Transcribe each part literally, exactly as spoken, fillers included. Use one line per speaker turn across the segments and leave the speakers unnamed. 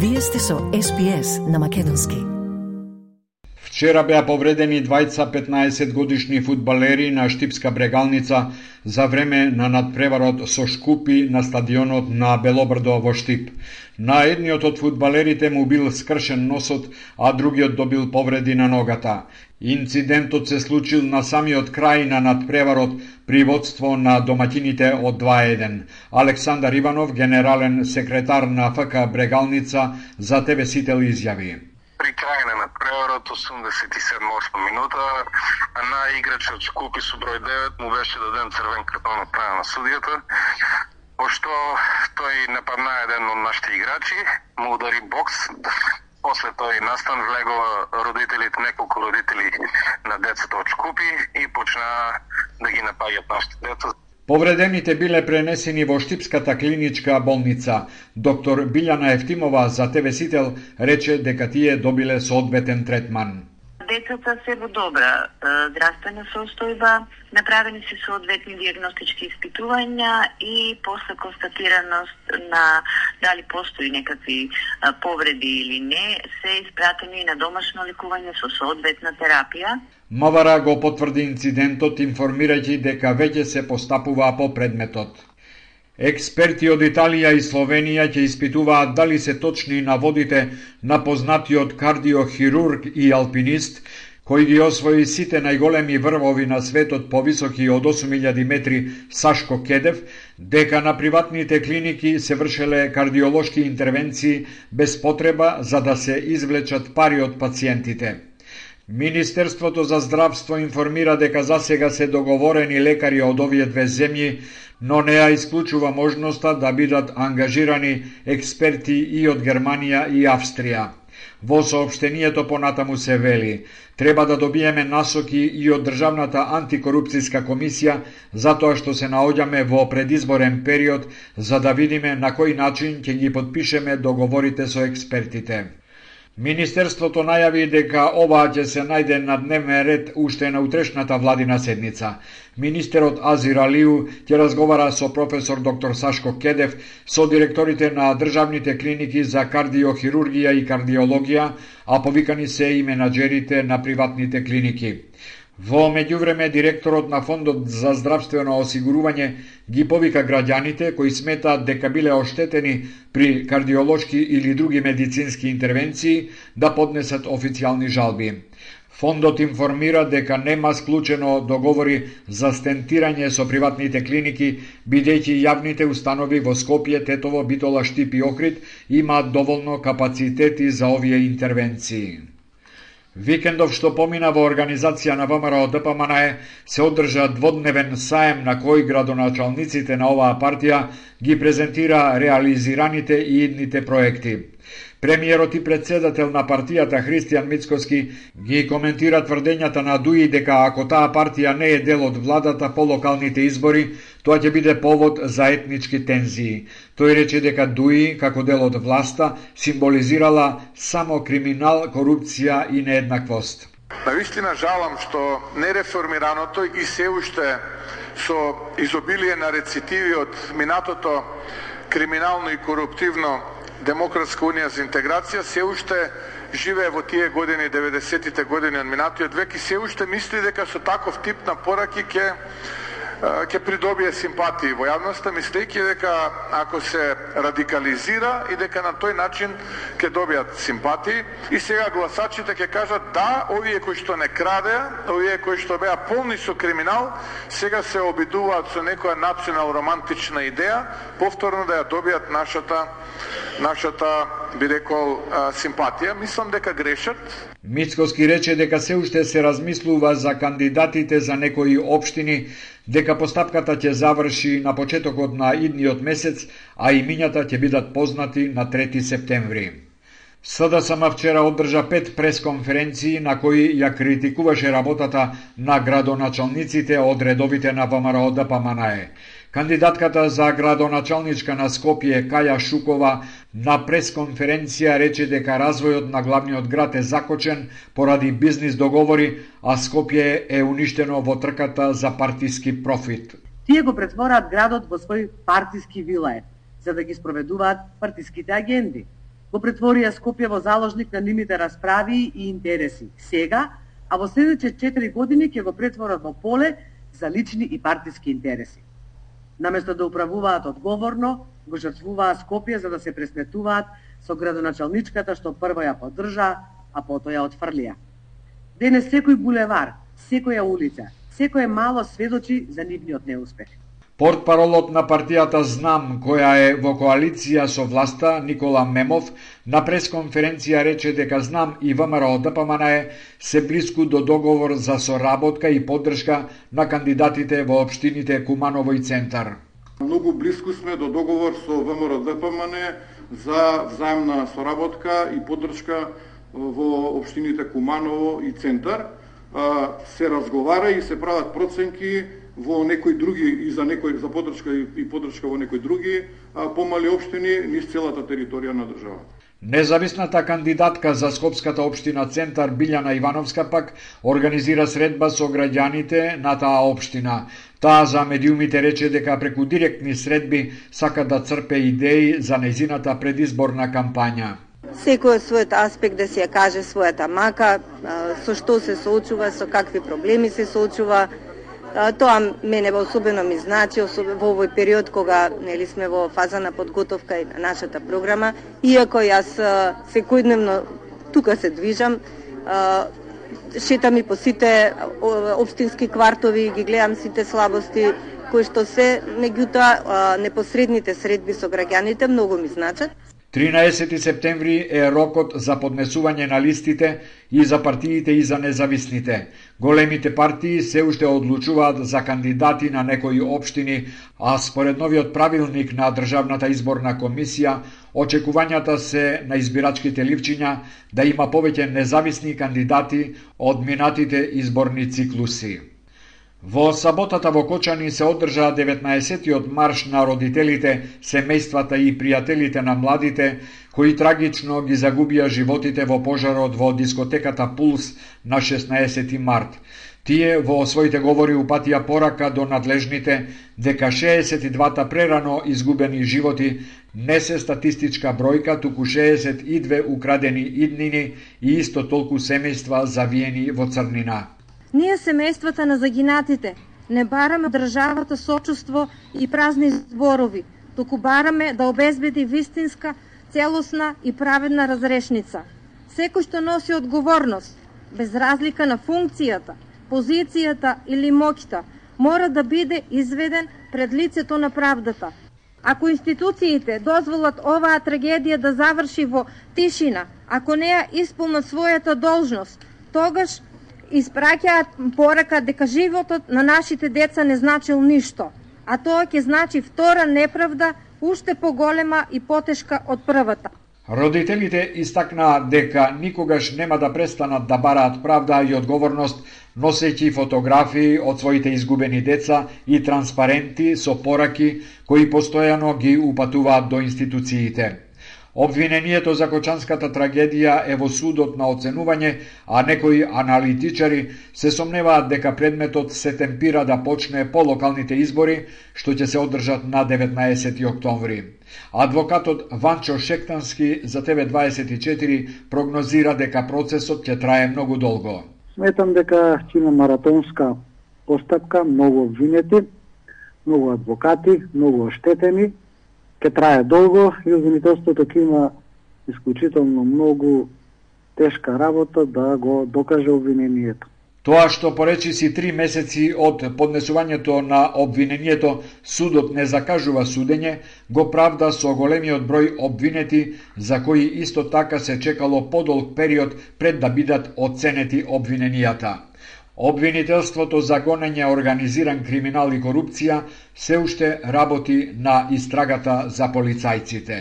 Вие сте со Ес Би Ес на македонски.
Вчера беа повредени двајца петнаесет годишни фудбалери на Штипска Брегалница за време на надпреварот со Шкупи на стадионот на Белобрдо во Штип. На едниот од фудбалерите му бил скршен носот, а другиот добил повреди на ногата. Инцидентот се случил на самиот крај на надпреварот при водство на домаќините од два еден. Александар Иванов, генерален секретар на Еф К Брегалница, за Те Ве Сител изјави:
При крај на надпреварот осумдесет и седма минута на играчот Шкупи со број девет му беше даден црвен картон од страна на судијата, пошто тој нападна еден од нашите играчи, му удари бокс. После тој настан влегува родителите, неколку родители на децата од Шкупи и почна да ги напаѓат нашите деца.
Повредените биле пренесени во Штипската клиничка болница. Доктор Билјана Ефтимова за Те Ве Сител рече дека тие добиле соодветен третман.
Децата се во добра здравствена состојба, направени се соодветни дијагностички испитувања и после констатираност на дали постои некакви повреди или не, се испратени на домашно лекување со соодветна терапија.
Мавара го потврди инцидентот, информирајќи дека веќе се постапува по предметот. Експерти од Италија и Словенија ќе испитуваат дали се точни наводите на познатиот кардиохирург и алпинист, кој ги освои сите најголеми врвови на светот повисоки од осум илјади метри Сашко Кедев, дека на приватните клиники се вршеле кардиолошки интервенции без потреба за да се извлечат пари од пациентите. Министерството за здравство информира дека засега се договорени лекари од овие две земји, но не ја исклучува можноста да бидат ангажирани експерти и од Германија и Австрија. Во соопштението понатаму се вели: треба да добиеме насоки и од Државната антикорупцијска комисија, затоа што се наоѓаме во предизборен период, за да видиме на кој начин ќе ги потпишеме договорите со експертите. Министерството најави дека ова ќе се најде на дневен ред уште на утрешната владина седница. Министерот Азир Алиу ќе разговара со професор доктор Сашко Кедев, со директорите на државните клиники за кардиохирургија и кардиологија, а повикани се и менаџерите на приватните клиники. Во меѓувреме, директорот на Фондот за здравствено осигурување ги повика граѓаните кои сметаат дека биле оштетени при кардиолошки или други медицински интервенции да поднесат официјални жалби. Фондот информира дека нема склучено договори за стентирање со приватните клиники, бидејќи јавните установи во Скопје, Тетово, Битола, Штип и Охрид имаат доволно капацитети за овие интервенции. Викендов што помина во организација на Вэ Ем Ер О Д П М Н Е се одржа дводневен саем на кој градоначалниците на оваа партија ги презентира реализираните и идните проекти. Премиерот и председател на партијата Христијан Мицкоски ги коментира тврдењата на Дуи дека ако таа партија не е дел од владата по локалните избори, тоа ќе биде повод за етнички тензии. Тој рече дека Дуи, како дел од власта, символизирала само криминал, корупција и нееднаквост.
Навистина жалам што нереформираното и се уште со изобилие на рецитиви од минатото криминално и коруптивно Демократска унија за интеграција се уште живее во тие години, деветдесетите години од минатиот век и се уште мисли дека со таков тип на пораки ќе ќе придобие симпатии во јавноста, мислејќи дека ако се радикализира и дека на тој начин ќе добијат симпатии и сега гласачите ќе кажат да, овие кои што не крадеа, овие кои што беа полни со криминал, сега се обидуваат со некоја национал романтична идеја, повторно да ја добијат нашата нашата би рекол симпатија. Мислам дека грешат.
Мицкоски рече дека се уште се размислува за кандидатите за некои општини, дека постапката ќе заврши на почетокот на идниот месец, а имињата ќе бидат познати на трети септември. С Д С М вчера одржа пет пресконференции на кои ја критикуваше работата на градоначалниците од редовите на Вэ Ем Ер О Д П М Н Е. Кандидатката за градоначалничка на Скопје, Каја Шукова, на пресконференција рече дека развојот на главниот град е закочен поради бизнис договори, а Скопје е уништено во трката за партиски профит.
Тие го претвораат градот во свој партиски вилај, за да ги спроведуваат партиските агенди. го претворија Скопје во заложник на нивните расправи и интереси. Сега, а во следните четири години ќе го претворат во поле за лични и партиски интереси. Наместо да управуваат одговорно, го жртвуваа Скопје за да се пресметуваат со градоначалничката што прво ја поддржа, а потоа ја отфрлија. Денес секој булевар, секоја улица, секое мало сведочи за нивниот неуспех.
Портпаролот на партијата Знам, која е во коалиција со власта, Никола Мемов, на пресконференција рече дека Знам и ВМРО Д П М Н се блиску до договор за соработка и поддршка на кандидатите во општините Куманово и Центар.
Многу блиску сме до договор со ВМРО Д П М Н за взаемна соработка и поддршка во општините Куманово и Центар. Се разговара и се прават проценки во некои други и за некои за поддршка и поддршка во некои други помали општини низ целата територија на државата.
Независната кандидатка за Скопската општина Центар Билјана Ивановска пак организира средба со граѓаните на таа општина. Таа за медиумите рече дека преку директни средби сака да црпе идеи за нејзината предизборна кампања.
Секој својот аспект да си ја каже својата мака, со што се соочува, со какви проблеми се соочува. Тоа мене особено ми значи во овој период кога нели сме во фаза на подготовка и на нашата програма, иако јас секојдневно тука се движам, шетам и по сите општински квартови, ги гледам сите слабости кои што се, меѓутоа непосредните средби со граѓаните многу ми значат.
тринаесети септември е рокот за поднесување на листите и за партиите и за независните. Големите партии се уште одлучуваат за кандидати на некои општини, а според новиот правилник на Државната изборна комисија, очекувањата се на избирачките ливчиња да има повеќе независни кандидати од минатите изборни циклуси. Во саботата во Кочани се одржа деветнаесеттиот марш на родителите, семејствата и пријателите на младите, кои трагично ги загубија животите во пожарот во дискотеката Пулс на шеснаесети март. Тие во своите говори упатија порака до надлежните дека шеесет и двата прерано изгубени животи не се статистичка бројка, туку шеесет и две украдени иднини и исто толку семејства завиени во црнина.
Ние, семејствата на загинатите, не бараме државата сочувство и празни зборови, туку бараме да обезбеди вистинска, целосна и праведна разрешница. Секој што носи одговорност, без разлика на функцијата, позицијата или моќта, мора да биде изведен пред лицето на правдата. Ако институциите дозволат оваа трагедија да заврши во тишина, ако не ја исполнат својата должност, тогаш испраќаат порака дека животот на нашите деца не значил ништо, а тоа ќе значи втора неправда, уште поголема и потешка од првата.
Родителите истакнаа дека никогаш нема да престанат да бараат правда и одговорност, носејќи фотографии од своите изгубени деца и транспаренти со пораки кои постојано ги упатуваат до институциите. Обвинението за Кочанската трагедија е во судот на оценување, а некои аналитичари се сомневаат дека предметот се темпира да почне по локалните избори, што ќе се одржат на деветнаесети октомври. Адвокатот Ванчо Шектански за Т В дваесет и четири прогнозира дека процесот ќе трае многу долго.
Сметам дека ќе има маратонска постапка, многу обвинети, многу адвокати, многу оштетени, ќе трае долго и обвинителството ќе има исклучително многу тешка работа да го докаже обвинението.
Тоа што поречи си три месеци од поднесувањето на обвинението, судот не закажува судење, го правда со големиот број обвинети, за кои исто така се чекало подолг период пред да бидат оценети обвиненијата. Обвинителството за гонење организиран криминал и корупција се уште работи на истрагата за полицајците.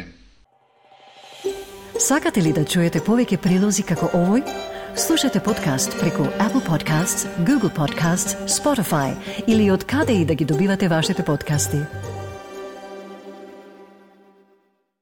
Сакате ли да чуете повеќе прилози како овој? Слушате подкаст преку Apple Podcasts, Google Podcasts, Spotify или од каде и да ги добивате вашите подкасти.